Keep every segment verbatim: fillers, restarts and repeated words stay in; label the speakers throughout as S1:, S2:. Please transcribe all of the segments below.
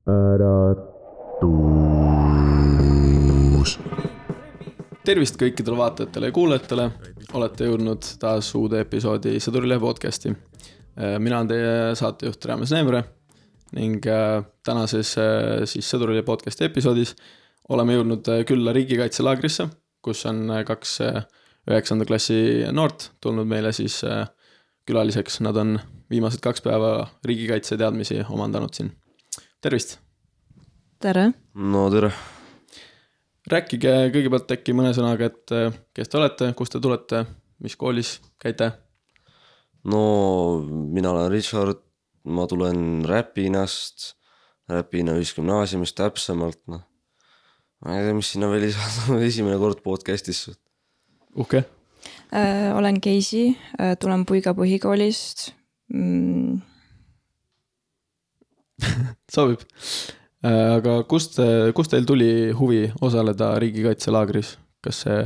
S1: äratus.
S2: Tervist kõikidele vaatajatele ja kuulajatele. Olete jõudnud taas uude episoodi Sõdurilehe podcasti. Mina olen teie saatejuht Raames Neemre ning tänases siis Sõdurilehe podcasti episoodis oleme jõudnud külla riigikaitselaagrisse, kus on kaks üheksanda klassi noort tulnud meile siis külaliseks. Nad on viimased kaks päeva riigikaitse teadmisi omandanud siin. Tervist!
S3: Tere!
S4: No tere!
S2: Rääkige kõigepealt äkki mõne sõnaga, et kes te olete, kust te tulete, mis koolis käite?
S4: No mina olen Richard, ma tulen Räpinast, Räpina ühisgümnaasiumist täpsemalt. No. Ma ei tea, mis sinna veel lisada, esimene kord podcastis.
S2: Uhke.
S3: Äh, olen Keisi, äh, tulen Puiga põhikoolist. Mm.
S2: Sobib. Aga kust, kust teil tuli huvi osaleda riigikaitselaagris? Kas see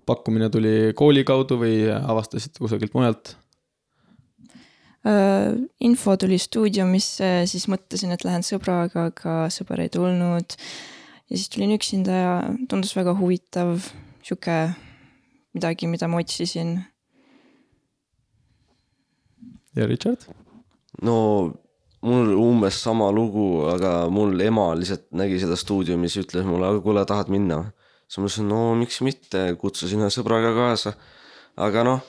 S2: pakkumine tuli kooli kaudu või avastasite kusagilt mujalt?
S3: Äh, info tuli stuudiumisse, siis mõtlesin, et lähen sõbraga, aga sõber ei tulnud. Ja siis tulin üksinda ja tundus väga huvitav, siuke midagi, mida ma otsisin.
S2: Ja Richard?
S4: No mul umbes sama lugu, aga mul ema lihtsalt nägi seda stuudiumis ja ütles mulle, aga kuule, tahad minna? Siis ma ütlesin, no miks mitte, kutsusin ühe sõbraga kaasa. Aga noh,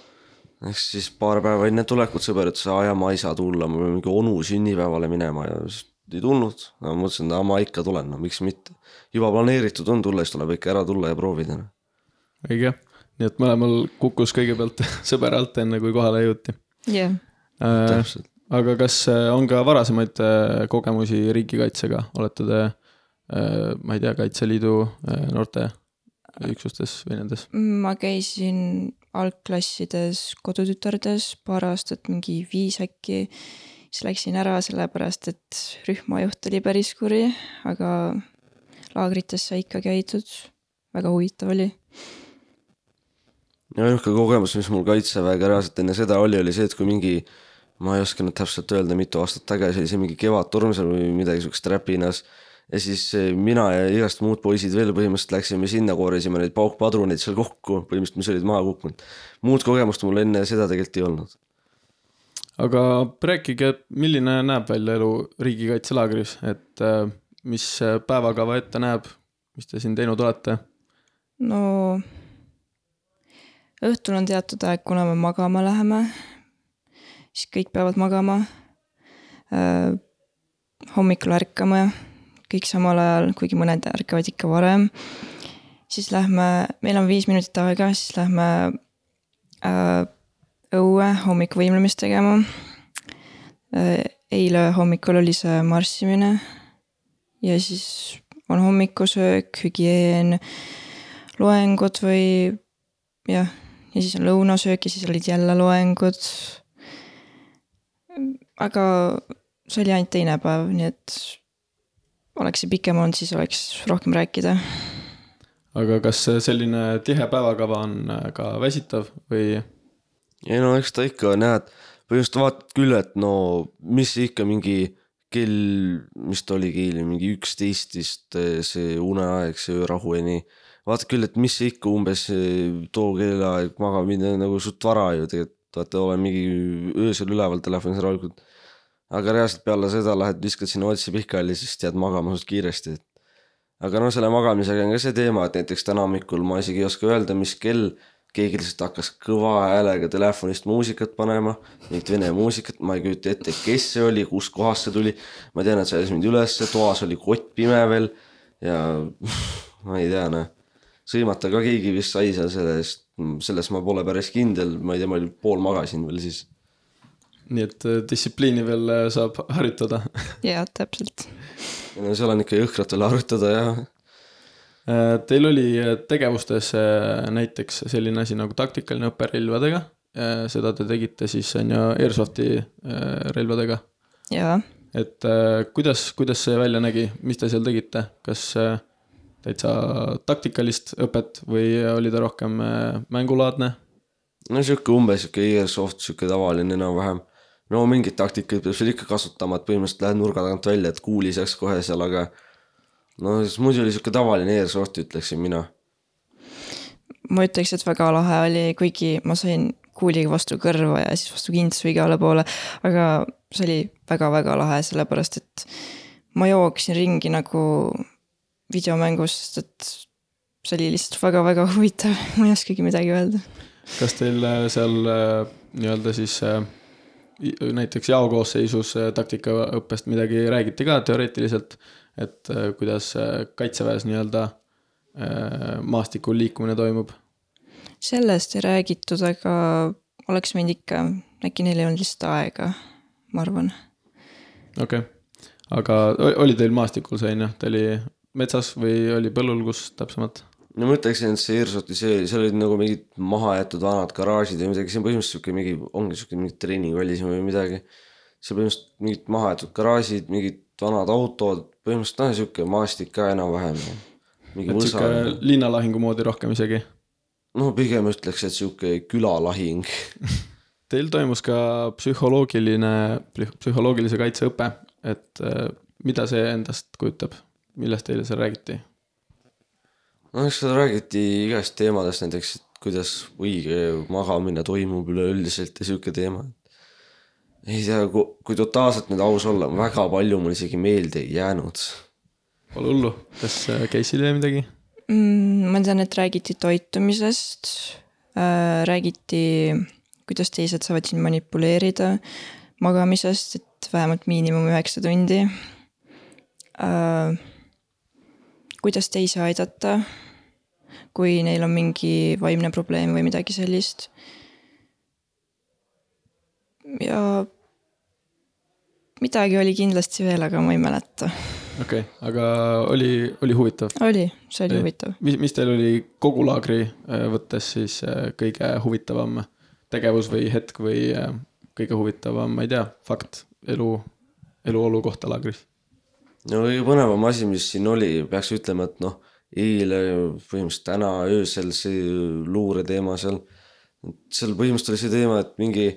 S4: eks siis paar päeva enne tulekut sõber ütles, aja ma ei saa tulla, ma pean mingi onu sünnipäevale minema ja siis ei tulnud. Ma mõtlesin, et ma ikka tulen, no miks mitte. Juba planeeritud on tulla, siis tuleb ikka ära tulla ja proovida.
S2: Õige, nii et mõlemal kukkus kõigepealt sõber alt enne, kui kohale jõuti.
S3: Jah.
S2: Yeah. Täpselt. Aga kas on ka varasemaid kogemusi riigikaitsega? Olete te, ma ei tea, Kaitseliidu noorte üksustes või nendes?
S3: Ma käisin algklassides kodutütardes paar aastat, mingi viis äkki. Siis läksin ära sellepärast, et rühmajuht oli päris kuri, aga laagrites sai ikka käidud. Väga huvitav oli.
S4: Ja ühke kogemus, mis mul kaitseväega reaalselt enne seda oli, oli see, et kui mingi ma ei oska nüüd täpselt öelda, mitu aastat tagasi oli see mingi kevadtorm seal või midagi sukest Räpinas ja siis mina ja igast muud poisid veel põhimõtteliselt läksime sinna, koorisime neid paukpadruneid seal kokku, põhimõtteliselt mis olid maha kukkunud. Muud kogemust mul enne seda tegelikult ei olnud.
S2: Aga rääkige, milline näeb välja elu riigikaitselaagris, et mis päevakava ette näeb, mis te siin teinud olete?
S3: No õhtul on teatud aeg, kuna me magama läheme. Siis kõik peavad magama, äh, hommikul ärkama, kõik samal ajal, kuigi mõned ärkavad ikka varem. Siis lähme, meil on viis minutit aega, siis lähme äh, õue hommikuvõimlemist tegema. Äh, eile hommikul oli see marssimine ja siis on hommikusöök, hügieen, loengud või jah, ja siis on lõunasöök ja siis olid jälle loengud. Aga see oli ainult teine päev, nii et oleks see pikem olnud, siis oleks rohkem rääkida.
S2: Aga kas selline tihe päevakava on ka väsitav või?
S4: Ei no eks ta ikka näed, põhimõtteliselt vaatad küll, et no mis ikka mingi kell, mis ta oli keeli, mingi üksteistist see uneaeg, see rahu ja nii. Vaatad küll, et mis ikka umbes too kellaeg maga minna nagu suht vara ju tegelikult. Vaata, olen mingi öösel üleval telefonis rahulikult. Aga reaalselt peale seda lähed viskad sinna otsi pihkali, siis tead magama suht kiiresti. Aga no selle magamisega on ka see teema, et näiteks täna hommikul ma isegi ei oska öelda, mis kell keegi lihtsalt hakkas kõva häälega telefonist muusikat panema, mingit vene muusikat, ma ei küüta ette, kes see oli, kus kohas see tuli. Ma tean, et see oli mind üles, toas oli kott pime veel ja ma ei tea, ne. Sõimata ka keegi vist sai seal sellest, selles ma pole päris kindel, ma ei tea, ma oli pool magasin veel siis.
S2: Nii et distsipliini veel saab harjutada.
S3: Jaa, täpselt.
S4: Ja seal on ikka jõhkrat veel harjutada, jah.
S2: Teil oli tegevustes näiteks selline asi nagu taktikaline õppe relvadega. Seda te tegite siis on ju Airsofti relvadega.
S3: Jaa.
S2: Et kuidas, kuidas see välja nägi? Mis te seal tegite? Kas täitsa taktikalist õpet või oli ta rohkem mängulaadne?
S4: No siuke umbes, siuke Airsoft, siuke tavaline enam vähem. no mingid taktikaid peab seal ikka kasutama, et põhimõtteliselt lähed nurga tagant välja, et kuuli saaks kohe seal, aga no siis muidu oli siuke tavaline airsoft, ütleksin mina.
S3: ma ütleks, et väga lahe oli, kuigi ma sain kuuliga vastu kõrva ja siis vastu kintsu igale poole, aga see oli väga-väga lahe, sellepärast et ma jooksin ringi nagu videomängus, sest et see oli lihtsalt väga-väga huvitav, ma ei oskagi midagi öelda.
S2: Kas teil seal nii-öelda siis näiteks jaokoosseisus taktikaõppest midagi räägiti ka teoreetiliselt, et kuidas kaitseväes nii-öelda maastikul liikumine toimub?
S3: Sellest ei räägitud, aga oleks võinud ikka, äkki neil ei olnud lihtsalt aega, ma arvan.
S2: Okei, okay. Aga oli teil maastikul see, ta oli metsas või oli põllul, kus täpsemalt?
S4: No ma ütleksin, et see Airsofti, see, seal olid nagu mingid maha jäetud vanad garaažid või midagi, see on põhimõtteliselt mingi, ongi siuke mingi treeningvallis või midagi. See põhimõtteliselt mingid maha jäetud garaažid, mingid vanad autod, põhimõtteliselt on siuke maastik ka enam-vähem.
S2: Et siuke linnalahingu moodi rohkem isegi?
S4: No pigem ütleks, et siuke külalahing.
S2: Teil toimus ka psühholoogiline, psühholoogilise kaitseõpe, et mida see endast kujutab? Millest teile seal räägiti?
S4: No eks seda räägiti igast teemadest, näiteks kuidas õige magamine toimub üleüldiselt ja siuke teema. Ei tea, kui totaalselt nüüd aus olla, väga palju mul isegi meelde ei jäänud.
S2: Pole hullu, kas Casey'l jäi midagi?
S3: Mm, ma tean, et räägiti toitumisest, äh, räägiti, kuidas teised saavad siin manipuleerida magamisest, et vähemalt miinimum üheksa tundi. Äh, kuidas teisi aidata, kui neil on mingi vaimne probleem või midagi sellist. Ja midagi oli kindlasti veel, aga ma ei mäleta.
S2: Okei, okay, aga oli, oli huvitav?
S3: Oli, see oli huvitav.
S2: Mis, mis teil oli kogu laagri võttes siis kõige huvitavam tegevus või hetk või kõige huvitavam, ma ei tea, fakt elu, eluolu kohta laagris?
S4: No kõige põnevam asi, mis siin oli, peaks ütlema, et noh, eile, põhimõtteliselt täna öösel see luure teema seal, seal põhimõtteliselt oli see teema, et mingi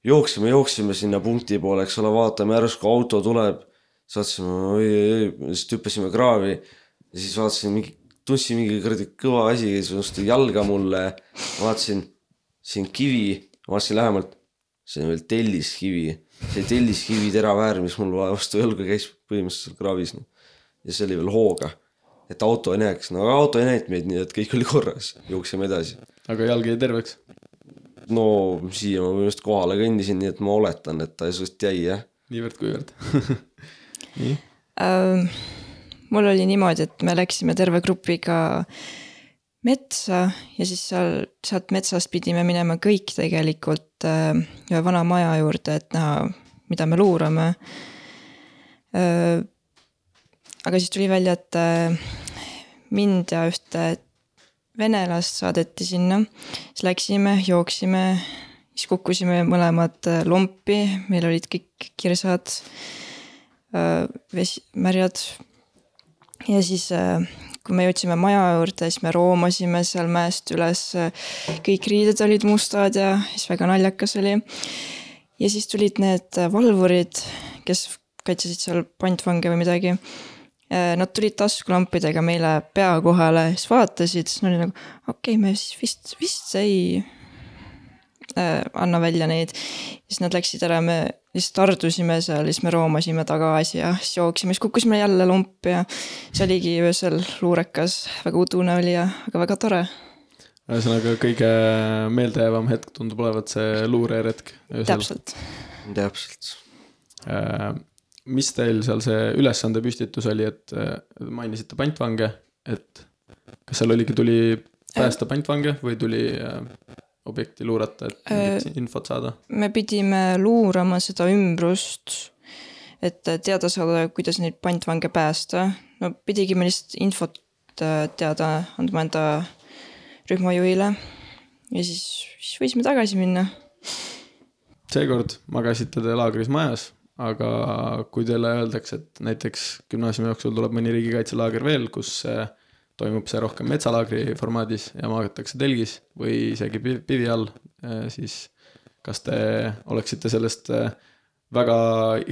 S4: jooksime, jooksime sinna punkti poole, eks ole, vaatame järsku auto tuleb, saatsime, oi, oi, siis tüppasime kraavi ja siis vaatasin, mingi, tundsin mingi kõrdi kõva asi, siis jalga mulle, vaatasin siin kivi, vaatasin lähemalt, see on veel telliskivi, see telliskivi teraväär, mis mul vastu jalga käis põhimõtteliselt kraavis ja see oli veel hooga, et auto ei näeks, no aga auto ei näinud meid nii, et kõik oli korras, jooksime edasi.
S2: Aga jalg jäi terveks?
S4: No siia ma põhimõtteliselt kohale kõndisin, nii et ma oletan, et ta just jäi, jah.
S2: Niivõrd kuivõrd. Nii?
S3: Ähm, mul oli niimoodi, et me läksime terve grupiga metsa ja siis seal, sealt metsast pidime minema kõik tegelikult äh, ühe vana maja juurde, et näha, mida me luurame. Äh, aga siis tuli välja, et äh, mind ja ühte venelast saadeti sinna, siis läksime, jooksime, siis kukkusime mõlemad lompi, meil olid kõik kirsad, vesi, märjad ja siis kui me jõudsime maja juurde, siis me roomasime seal mäest üles, kõik riided olid mustad ja siis väga naljakas oli ja siis tulid need valvurid, kes kaitsesid seal pantvange või midagi. Nad tulid taskulampidega meile pea kohale, siis vaatasid, siis nad oli nagu, okei, okay, me siis vist, vist ei äh, anna välja neid. Siis nad läksid ära, me lihtsalt ardusime seal, siis me roomasime tagasi ja siis jooksime, siis kukkusime jälle lumpi ja see oligi öösel luurekas, väga udune oli ja väga, väga tore.
S2: Ühesõnaga kõige meeldejäävam hetk tundub olevat see luureretk.
S3: Täpselt.
S4: Täpselt.
S2: Äh, mis teil seal see ülesande püstitus oli, et mainisite pantvange, et kas seal oligi, tuli päästa pantvange või tuli objekti luurata, et mingit infot saada? Me
S3: pidime luurama seda ümbrust, et teada saada, kuidas neid pantvange päästa. No pidigi me lihtsalt infot teada andma enda rühmajuhile ja siis, siis võisime tagasi minna.
S2: Seekord magasite te laagris majas, aga kui teile öeldakse, et näiteks gümnaasiumi jooksul tuleb mõni riigikaitselaager veel, kus toimub see rohkem metsalaagri formaadis ja magatakse telgis või isegi pivi all, siis kas te oleksite sellest väga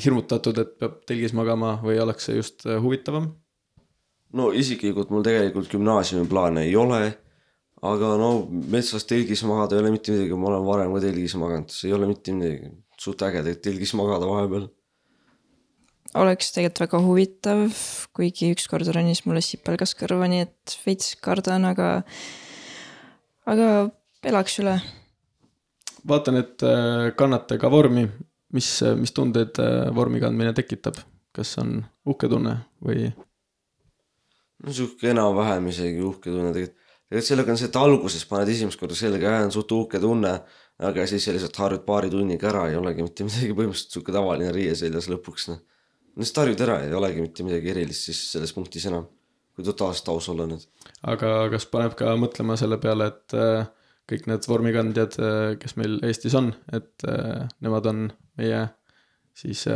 S2: hirmutatud, et peab telgis magama või oleks see just huvitavam?
S4: no isiklikult mul tegelikult gümnaasiumi plaane ei ole, aga no metsas telgis magada ei ole mitte midagi, ma olen varem ka telgis maganud, see ei ole mitte midagi, suht äge telgis magada vahepeal.
S3: Oleks tegelikult väga huvitav, kuigi ükskord ronis mulle sipelgas kõrva, nii et veits kardan, aga, aga elaks üle.
S2: Vaatan, et kannate ka vormi. Mis, mis tundeid vormi kandmine tekitab? Kas on uhke tunne või?
S4: No siuke enam vähem isegi uhke tunne tegelikult. Tegelikult sellega on see, et alguses paned esimest korda sellega ja on suht uhke tunne, aga siis sellised harjud paari tunniga ära ei olegi mitte midagi põhimõtteliselt siuke tavaline riie seljas lõpuks. Nüüd harjud ära ei olegi mitte midagi erilist siis selles punktis enam, kui totaalselt aus olla nüüd.
S2: Aga kas paneb ka mõtlema selle peale, et kõik need vormikandjad, kes meil Eestis on, et nemad on meie siis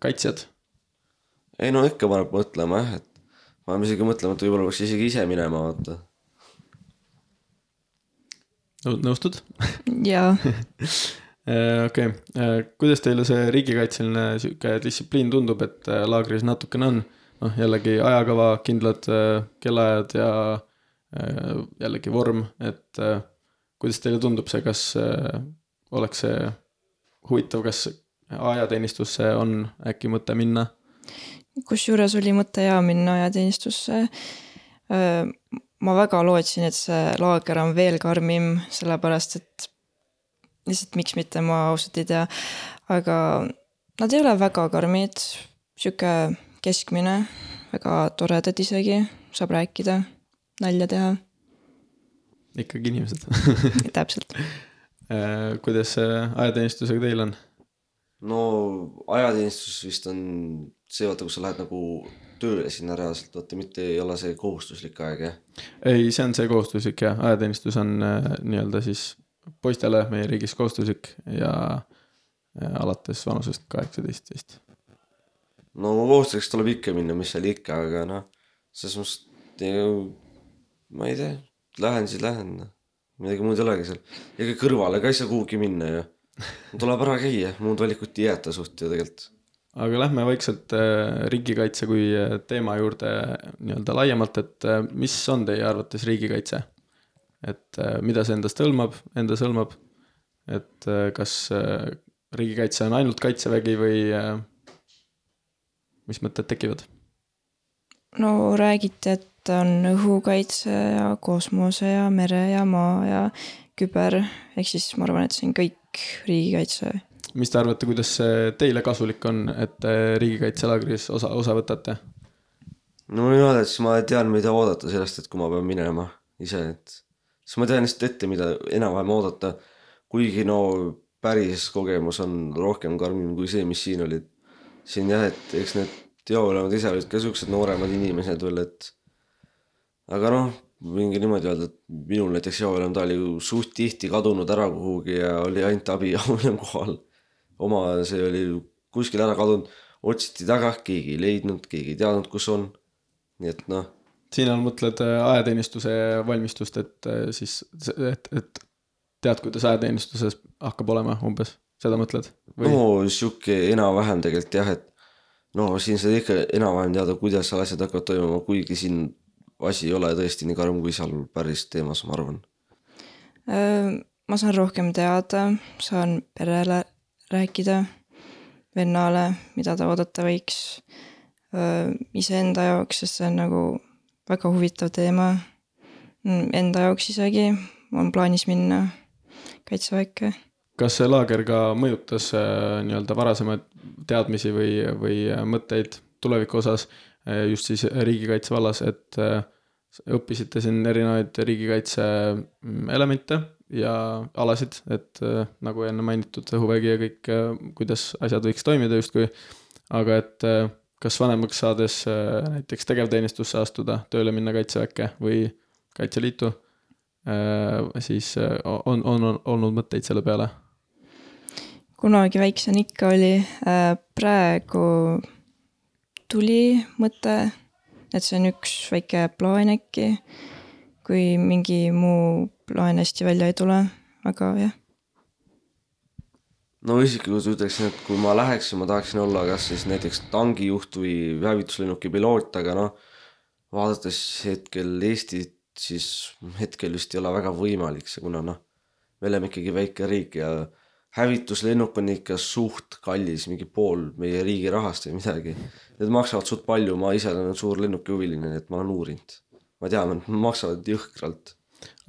S2: kaitsjad?
S4: Ei no ikka paneb mõtlema jah, et ma olen isegi mõtlema, et võib-olla peaks isegi ise minema vaata.
S2: Nõustud?
S3: Jaa.
S2: Okei, kuidas teile see riigikaitseline süke distsipliin tundub, et laagris natukene on? No, jällegi ajakava, kindlad kellaajad ja jällegi vorm, et kuidas teile tundub see, kas oleks see huvitav, kas ajateenistusse on äkki mõte minna?
S3: Kus juures oli mõte ja minna ajateenistusse. Ma väga lootsin, et see laager on veel karmim, sellepärast, et lihtsalt miks mitte ma ausalt ei tea. Aga nad ei ole väga karmid, siuke keskmine, väga toredad isegi, saab rääkida, nalja teha.
S2: Ikkagi inimesed.
S3: Täpselt.
S2: Kuidas ajateenistusega teil on?
S4: No ajateenistus vist on see, vaata, kus sa lähed nagu tööle sinna reaalselt, vaata, mitte ei ole see kohustuslik aeg, jah?
S2: Ei, see on see kohustuslik, jah. Ajateenistus on nii-öelda siis poistele meie riigis kohustuslik ja alates vanusest kaheksateist vist.
S4: No kohustuseks tuleb ikka minna, mis seal ikka, aga noh, selles mõttes, ma ei tea, lähen siis lähen, midagi muud ei olegi seal. Ega kõrvale ka ei saa kuhugi minna ja tuleb ära käia, muud valikut ei jäeta suht ja tegelikult.
S2: Aga lähme vaikselt riigikaitse kui teema juurde nii-öelda laiemalt, et mis on teie arvates riigikaitse? Et mida see endast hõlmab, endas hõlmab, et kas riigikaitse on ainult kaitsevägi või mis mõtted tekivad?
S3: No räägiti, et on õhukaitse ja kosmose ja mere ja maa ja küber, ehk siis ma arvan, et see on kõik riigikaitse.
S2: Mis te arvate, kuidas teile kasulik on, et riigikaitselaagris osa, osa võtate?
S4: No mina tead, siis ma tean, mida oodata sellest, et kui ma pean minema ise, et siis ma tean lihtsalt ette, mida enam-vähem oodata, kuigi no päris kogemus on rohkem karmim kui see, mis siin olid. Siin jah, et eks need teolemad ise olid ka siuksed nooremad inimesed veel, et aga noh, mingi niimoodi öelda, et minul näiteks jaolem ta oli suht tihti kadunud ära kuhugi ja oli ainult abi jaolem kohal. Oma see oli kuskil ära kadunud, otsiti taga, keegi ei leidnud, keegi ei teadnud, kus on. Nii et noh.
S2: Siin on mõtled ajateenistuse valmistust, et siis, et, et tead, kuidas ajateenistusest hakkab olema umbes, seda mõtled? Või?
S4: No siuke enam-vähem tegelikult jah, et no siin sa ikka enam-vähem teada, kuidas asjad hakkavad toimuma, kuigi siin asi ei ole tõesti nii karm kui seal päris teemas, ma arvan.
S3: Ma saan rohkem teada, saan perele rääkida, vennale, mida ta oodata võiks ise enda jaoks, sest see on nagu väga huvitav teema. Enda jaoks isegi on plaanis minna kaitseväkke. Kas
S2: see laager ka mõjutas nii-öelda varasemaid teadmisi või, või mõtteid tuleviku osas just siis riigikaitse vallas, et õppisite siin erinevaid riigikaitse elemente ja alasid, et nagu enne mainitud õhuvägi ja kõik, kuidas asjad võiks toimida justkui, aga et kas vanemaks saades näiteks tegevteenistusse astuda, tööle minna kaitseväkke või kaitseliitu, siis on, on, on olnud mõtteid selle peale?
S3: Kunagi väiksen ikka oli, praegu tuli mõte, et see on üks väike plaan äkki, kui mingi muu plaan hästi välja ei tule, aga jah.
S4: no isiklikult ütleksin, et kui ma läheksin, ma tahaksin olla kas siis näiteks tangijuht või hävituslennuki piloot, aga noh, vaadates hetkel Eestit, siis hetkel vist ei ole väga võimalik see, kuna noh, me oleme ikkagi väike riik ja hävituslennuk on ikka suht kallis, mingi pool meie riigi rahast või midagi. Need maksavad suht palju, ma ise olen suur lennuki huviline, et ma olen uurinud. Ma tean, et maksavad jõhkralt.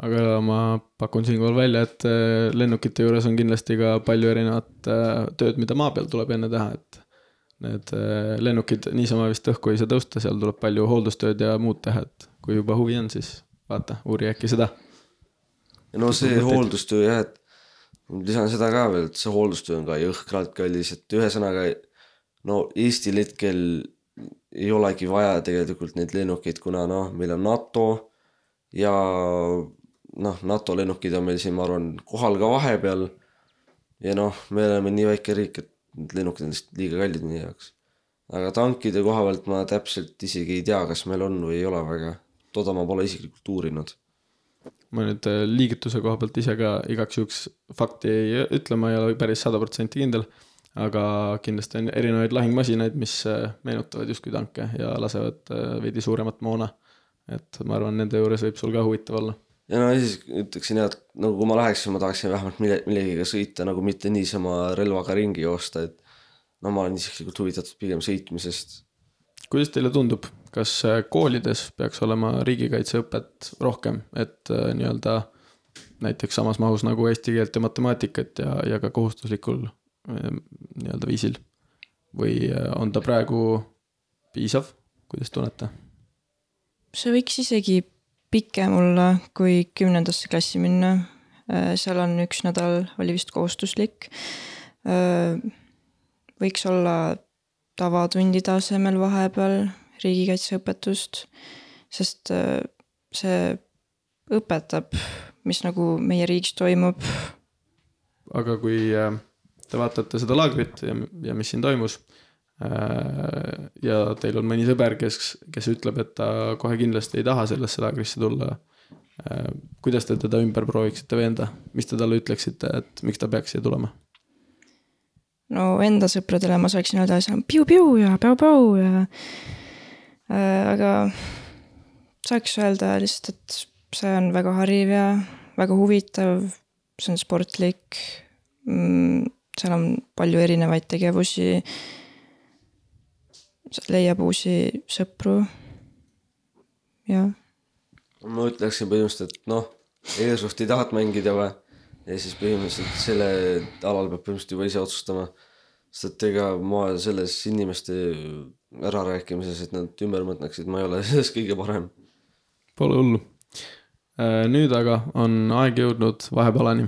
S2: Aga ma pakun siinkohal välja, et lennukite juures on kindlasti ka palju erinevat tööd, mida maa peal tuleb enne teha, et need lennukid niisama vist õhku ei saa tõusta, seal tuleb palju hooldustööd ja muud teha, et kui juba huvi on, siis vaata, uuri äkki seda.
S4: Ja no see hooldustöö jah, et lisan seda ka veel, et see hooldustöö on ka jõhkralt kallis, et ühesõnaga no Eestil hetkel ei olegi vaja tegelikult neid lennukeid, kuna noh, meil on NATO ja noh, NATO lennukid on meil siin, ma arvan, kohal ka vahepeal ja noh, me oleme nii väike riik, et need lennukid on lihtsalt liiga kallid meie jaoks. Aga tankide koha pealt ma täpselt isegi ei tea, kas meil on või ei ole väga. Toda ma pole isiklikult uurinud.
S2: Ma nüüd liigituse koha pealt ise ka igaks juhuks fakti ei ütle, ma ei ole päris sada protsenti kindel, aga kindlasti on erinevaid lahingmasinaid, mis meenutavad justkui tanke ja lasevad veidi suuremat moona. Et ma arvan, nende juures võib sul ka huvitav olla.
S4: Ja no siis ütleksin jah, et nagu kui ma läheksin, ma tahaksin vähemalt millegiga sõita, nagu mitte niisama relvaga ringi joosta, et no ma olen isiklikult huvitatud pigem sõitmisest.
S2: Kuidas teile tundub, kas koolides peaks olema riigikaitseõpet rohkem, et nii-öelda näiteks samas mahus nagu eesti keelt ja matemaatikat ja, ja ka kohustuslikul nii-öelda viisil? Või on ta praegu piisav? Kuidas tunnete?
S3: See võiks isegi pikem olla, kui kümnendasse klassi minna. Seal on üks nädal, oli vist kohustuslik. Võiks olla tavatundide asemel vahepeal riigikaitseõpetust, sest see õpetab, mis nagu meie riigis toimub.
S2: Aga kui te vaatate seda laagrit ja, ja mis siin toimus ja teil on mõni sõber, kes, kes ütleb, et ta kohe kindlasti ei taha sellesse laagrisse tulla, kuidas te teda ümber prooviksite veenda? Mis te talle ütleksite, et miks ta peaks siia tulema?
S3: No enda sõpradele ma saaksin öelda, et piu-piu ja päu-päu ja äh, aga saaks öelda lihtsalt, et see on väga hariv ja väga huvitav, see on sportlik, seal on palju erinevaid tegevusi, leiab uusi sõpru ja
S4: ma ütleksin põhimõtteliselt, et noh, Airsoft ei tahat mängida või ja siis põhimõtteliselt selle alal peab põhimõtteliselt juba ise otsustama, sest et ega ma selles inimeste ärarääkimises, et nad ümber mõtleksid, ma ei ole selles kõige parem.
S2: Pole hullu. Nüüd aga on aeg jõudnud vahepalani.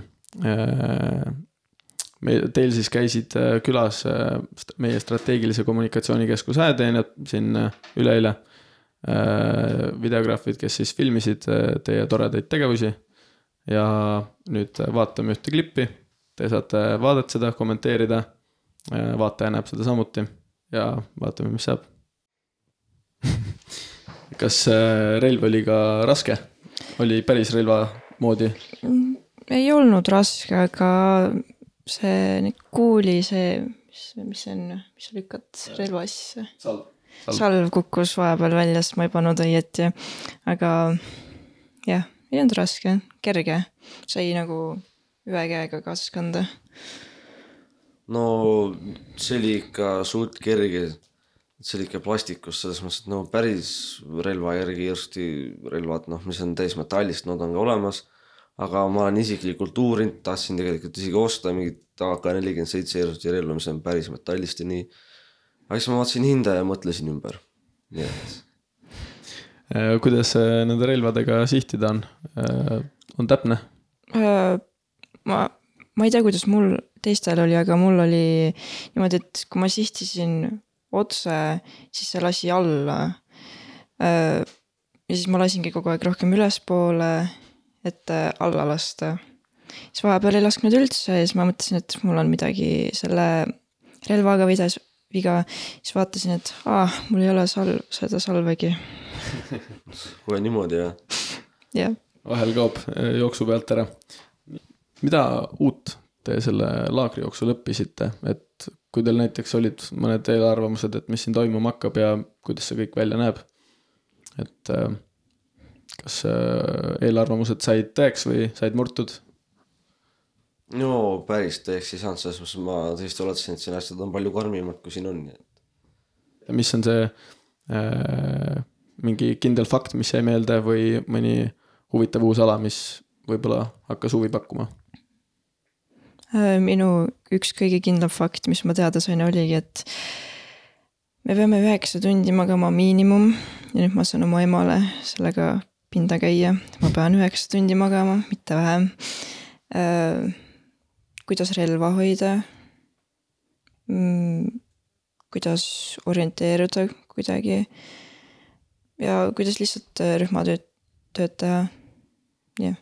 S2: Teil siis käisid külas meie strateegilise kommunikatsioonikeskuse ajateenjad siin üleile videograafid, kes siis filmisid teie toredaid tegevusi ja nüüd vaatame ühte klippi, te saate vaadata seda, kommenteerida, vaataja näeb seda samuti ja vaatame, mis saab. Kas relv oli ka raske? Oli päris relva moodi?
S3: Ei olnud raske, aga see kuuli, see, mis, mis on, mis lükkad relva sisse?
S2: Salv.
S3: Salv. Salv kukkus vahepeal välja, sest ma ei pannud õieti. Aga jah, ei olnud raske, kerge. Sai nagu ühe käega kaasas kanda.
S4: No see oli ikka suht kerge. See oli ikka plastikus, selles mõttes, et no päris relva järgi järsti relvad, noh, mis on täis metallist, nad on ka olemas. Aga ma olen isiklikult uurinud, tahtsin tegelikult isegi osta mingit A K nelikümmend seitse Airsoft relva, mis on päris metallist ja nii. Aga siis ma vaatasin hinda ja mõtlesin ümber. Nii et.
S2: Kuidas nende relvadega sihtida on? On täpne?
S3: Ma, ma ei tea, kuidas mul teistel oli, aga mul oli niimoodi, et kui ma sihtisin otse, siis see lasi alla. Ja siis ma lasingi kogu aeg rohkem ülespoole, et alla lasta. Siis vahepeal ei lasknud üldse ja siis ma mõtlesin, et mul on midagi selle relvaga vidas, viga. Siis vaatasin, et ah, mul ei ole salv, seda salvegi.
S4: Kui niimoodi, jah.
S3: Yeah.
S2: Vahel kaob jooksu pealt ära. Mida uut te selle laagrijooksul õppisite, et kui teil näiteks olid mõned eelarvamused, et mis siin toimuma hakkab ja kuidas see kõik välja näeb, et kas eelarvamused said tõeks või said murtud?
S4: No päris tõeks ei saanud, selles mõttes ma tõesti oletasin, et siin asjad on palju karmimad, kui siin on.
S2: Ja mis on see äh, mingi kindel fakt, mis jäi meelde või mõni huvitav uus ala, mis võib-olla hakkas huvi pakkuma?
S3: Minu üks kõige kindlam fakt, mis ma teada sain, oligi, et me peame üheksa tundi magama miinimum ja nüüd ma saan oma emale sellega pinda käia. Ma pean üheksa tundi magama, mitte vähem. Äh, kuidas relva hoida, mm, kuidas orienteeruda kuidagi ja kuidas lihtsalt rühmatööd tööd teha. Yeah.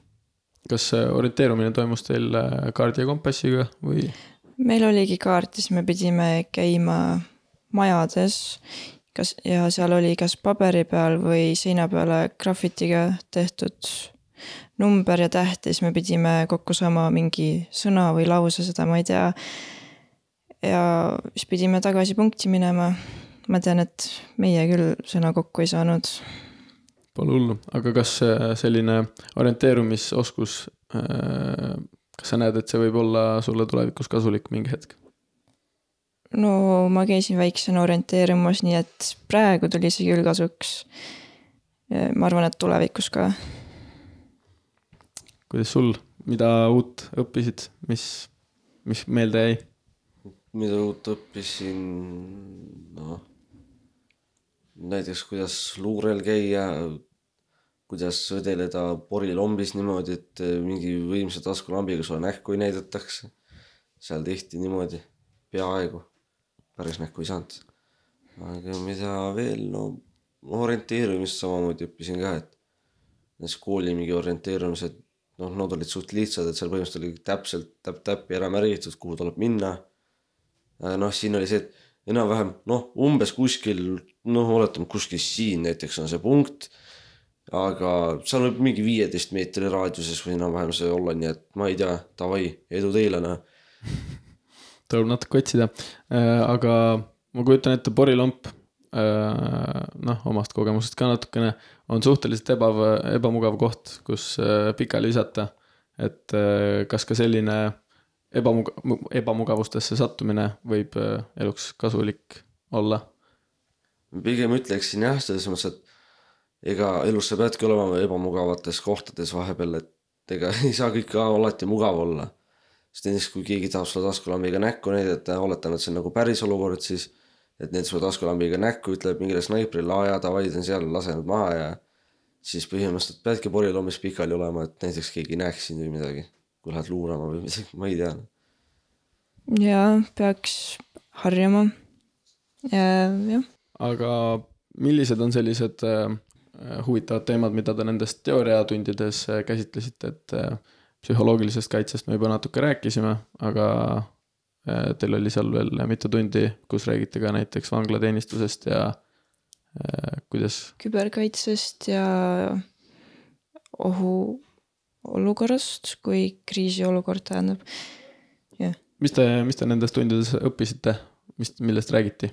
S2: Kas orienteerumine toimus teil kaardi ja kompassiga või?
S3: Meil oligi kaart ja siis me pidime käima majades kas, ja seal oli kas paberi peal või seina peale grafitiga tehtud number ja täht ja siis me pidime kokku saama mingi sõna või lause, seda ma ei tea. Ja siis pidime tagasi punkti minema. Ma tean, et meie küll sõna kokku ei saanud.
S2: Pole hullu, aga kas selline orienteerumisoskus, kas sa näed, et see võib olla sulle tulevikus kasulik mingi hetk?
S3: No ma käisin väiksena orienteerumas, nii et praegu tuli see küll kasuks. Ma arvan, et tulevikus ka.
S2: Kuidas sul, mida uut õppisid, mis, mis meelde jäi?
S4: Mida uut õppisin, no näiteks kuidas luurel käia, kuidas õdeleda porilombis niimoodi, et mingi võimsa taskulambiga sulle nähku ei näidatakse. Seal tehti niimoodi, peaaegu, päris nähku ei saanud. Aga mida veel, no orienteerumist samamoodi õppisin ka, et näiteks kooli mingi orienteerumised, noh, nad olid suht lihtsad, et seal põhimõtteliselt oli täpselt täpp-täppi ära märgitud, kuhu tuleb minna. Noh, siin oli see, et enam-vähem, noh, umbes kuskil, noh, oletame kuskil siin näiteks on see punkt, aga seal võib mingi viieteist meetri raadiuses või enam-vähem see olla, nii et ma ei tea, tavai, edu teilena.
S2: Tuleb natuke otsida, aga ma kujutan ette porilomp, noh, omast kogemusest ka natukene, on suhteliselt eba, ebamugav koht, kus pikali visata, et kas ka selline Ebamug- ebamugavustesse sattumine võib eluks kasulik olla?
S4: Pigem ütleksin jah, selles mõttes, et ega elus sa peadki olema ebamugavates kohtades vahepeal, et ega ei saa kõik alati mugav olla. Sest näiteks kui keegi tahab sulle taskulambiga näkku näidata, oletan, et see on nagu päris olukord, siis et need sulle taskulambiga näkku ütleb mingile snaiprile, aja tavaid on seal lasenud maha ja siis põhimõtteliselt peadki porilombis pikali olema, et näiteks keegi näeks sind või midagi. Kui lähed luurama või midagi, ma ei tea.
S3: Ja peaks harjama. Ja, jah.
S2: Aga millised on sellised huvitavad teemad, mida te nendest teooriatundides käsitlesite, et psühholoogilisest kaitsest me juba natuke rääkisime, aga teil oli seal veel mitu tundi, kus räägite ka näiteks vanglateenistusest ja kuidas? Küberkaitsest
S3: ja ohu olukorrast, kui kriisiolukord tähendab. Yeah.
S2: Mis te, mis te nendes tundides õppisite? Mis, millest räägiti?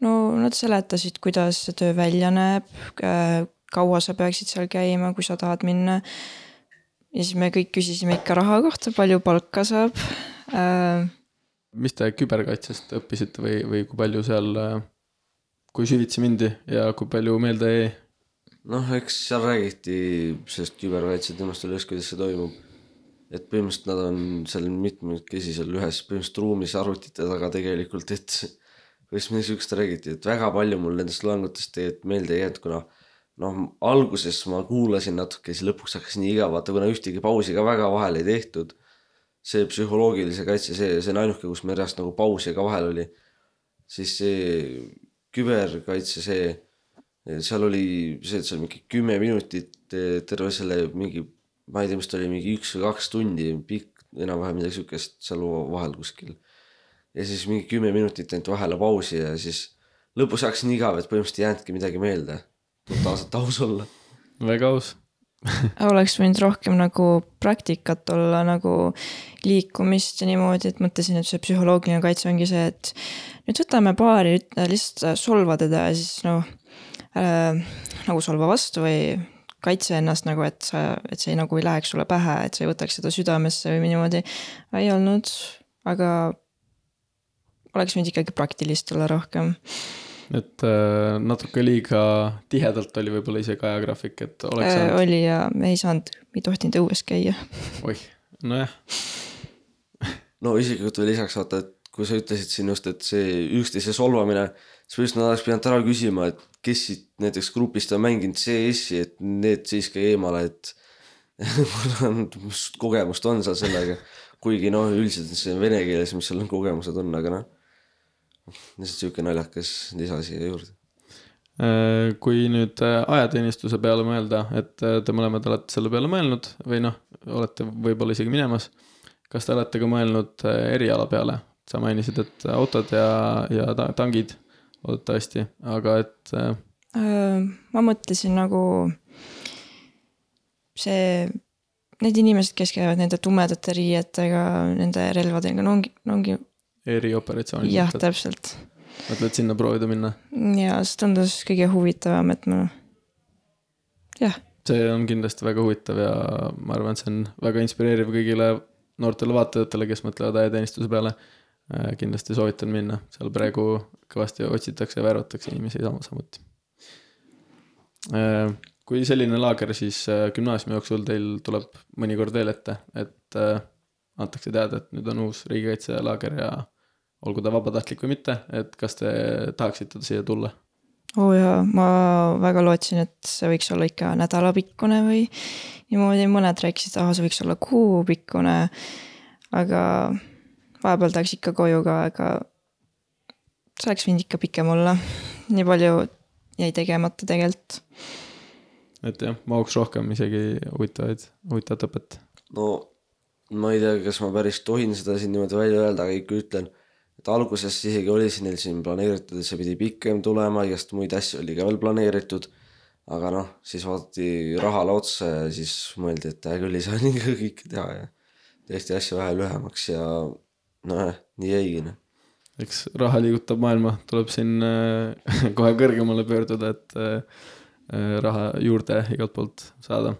S3: No nad seletasid, kuidas see töö välja näeb, kaua sa peaksid seal käima, kui sa tahad minna. Ja siis me kõik küsisime ikka raha kohta, palju palka saab. Mis
S2: te küberkaitsest õppisite või, või kui palju seal, kui süvitsi mindi ja kui palju meelde jäi?
S4: Noh, eks seal räägiti sellest küberkaitse temast üles, kuidas see toimub. Et põhimõtteliselt nad on seal mitmekesi seal ühes põhimõtteliselt ruumis arvutite taga tegelikult, et põhimõtteliselt niisugust räägiti, et väga palju mul nendest loengutest tegelikult meelde ei jäänud, kuna noh, alguses ma kuulasin natuke, siis lõpuks hakkasin nii igavata, kuna ühtegi pausi ka väga vahel ei tehtud. See psühholoogilise kaitse, see, see on ainuke, kus meil reast nagu pausi ka vahel oli. Siis see küberkaitse, see seal oli see, et seal mingi kümme minutit terve selle mingi, ma ei tea, mis ta oli, mingi üks või kaks tundi pikk, enam-vähem midagi sükest seal vahel kuskil. Ja siis mingi kümme minutit ainult vahele pausi ja siis lõpus hakkasin igav, et põhimõtteliselt ei jäänudki midagi meelde. Totaalselt aus olla.
S2: Väga aus.
S3: oleks võinud rohkem nagu praktikat olla nagu liikumist ja niimoodi, et mõtlesin, et see psühholoogiline kaitse ongi see, et nüüd võtame paari, lihtsalt solva teda ja siis noh äh,, nagu solva vastu või kaitse ennast nagu, et sa, et see nagu ei läheks sulle pähe, et sa ei võtaks seda südamesse või niimoodi. Ei olnud, aga oleks võinud ikkagi praktilist olla rohkem.
S2: Et äh, natuke liiga tihedalt oli võib-olla isegi ajagraafik, et oleks
S3: äh,
S2: saanud...
S3: Oli ja me ei saanud, ei tohtinud õues käia.
S2: Oih, no jah.
S4: No isiklikult veel lisaks vaata, et kui sa ütlesid siin just, et see üksteise solvamine, siis just nad oleks pidanud ära küsima, et kes siit näiteks grupist on mänginud C S-i, et need siiski eemale, et mis kogemust on seal sellega. Kuigi noh, üldiselt see vene keeles, mis seal kogemused on, aga noh, lihtsalt siuke naljakas lisa siia juurde.
S2: Kui nüüd ajateenistuse peale mõelda, et te mõlemad olete selle peale mõelnud või noh, olete võib-olla isegi minemas, kas te olete ka mõelnud eriala peale? Sa mainisid, et autod ja, ja tangid loodetavasti, aga et...
S3: Ma mõtlesin nagu see, need inimesed, kes käivad nende tumedate riietega, nende relvadega, no ongi, no ongi
S2: erioperatsioonid.
S3: Jah, täpselt.
S2: Mõtled sinna proovida minna?
S3: Ja see tundus kõige huvitavam, et ma... Jah.
S2: See on kindlasti väga huvitav ja ma arvan, et see on väga inspireeriv kõigile noortele vaatajatele, kes mõtlevad ajateenistuse peale. Kindlasti soovitan minna. Seal praegu kõvasti otsitakse ja värvatakse inimesi samuti. Kui selline laager, siis gümnaasiumi jooksul teil tuleb mõnikord veel ette, et antakse teada, et nüüd on uus riigikaitse laager ja olgu ta vabatahtlik või mitte, et kas te tahaksite siia tulla?
S3: Oo jaa, ma väga lootsin, et see võiks olla ikka nädalapikkune või niimoodi mõned rääkisid, aha, see võiks olla kuupikkune, aga vahepeal tahaks ikka koju ka, aga see oleks võinud ikka pikem olla. Nii palju jäi tegemata tegelikult.
S2: Et jah, mahuks rohkem isegi huvitavaid, huvitavat õpet.
S4: No ma ei tea, kas ma päris tohin seda siin niimoodi välja öelda, aga ikka ütlen, et alguses isegi oli siin neil siin planeeritud, et see pidi pikem tulema, igast muid asju oli ka veel planeeritud, aga noh, siis vaadati rahale otsa ja siis mõeldi, et küll ei saa nii kõik teha ja tõesti asju vähe lühemaks ja noh, nii jäigi.
S2: Eks raha liigutab maailma, tuleb siin kohe kõrgemale pöörduda, et raha juurde igalt poolt saada.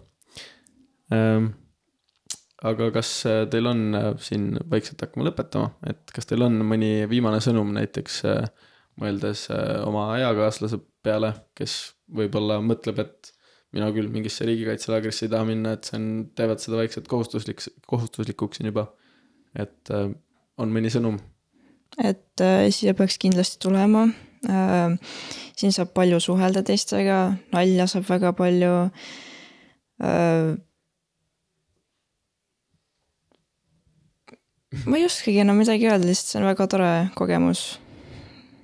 S2: Aga kas teil on siin vaikselt hakkama lõpetama, et kas teil on mõni viimane sõnum näiteks mõeldes oma ajakaaslase peale, kes võib-olla mõtleb, et mina küll mingisse riigikaitselaagrisse ei taha minna, et see on, teevad seda vaikselt kohustuslik, kohustuslikuks siin juba, et on mõni sõnum?
S3: Et äh, siia peaks kindlasti tulema, äh, siin saab palju suhelda teistega, nalja saab väga palju, äh, ma ei oskagi enam midagi öelda, lihtsalt see on väga tore kogemus.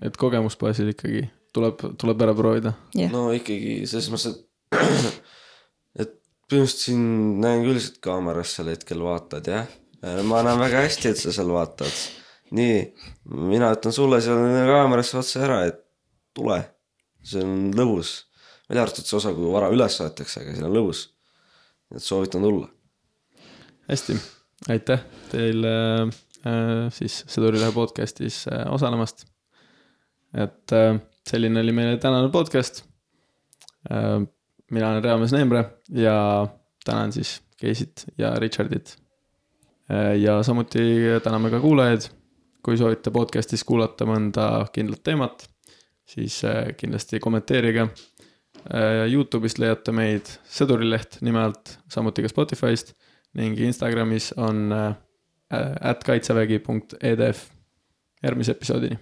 S2: Et kogemusbaasil ikkagi tuleb, tuleb ära proovida?
S3: Yeah.
S4: No ikkagi, selles mõttes, et, et põhimõtteliselt siin näen küll siit kaameras seal hetkel vaatad, jah. Ma näen väga hästi, et sa seal vaatad. Nii, mina ütlen sulle seal kaamerasse otsa ära, et tule. See on lõbus. Välja arvatud see osa, kui vara üles võetakse, aga see on lõbus. Et soovitan tulla.
S2: Hästi, aitäh teile äh, siis Sõdurilehe podcastis äh, osalemast. Et äh, selline oli meile tänane podcast. Äh, mina olen Reames Neemre ja tänan siis Keisit ja Richardit. Äh, ja samuti täname ka kuulajaid. Kui soovite podcastis kuulata mõnda kindlat teemat, siis kindlasti kommenteerige. YouTube'ist leiate meid Sõdurileht nimelt, samuti ka Spotify'st ning Instagramis on at kaitsevägi punkt e d f. Järgmise episoodini.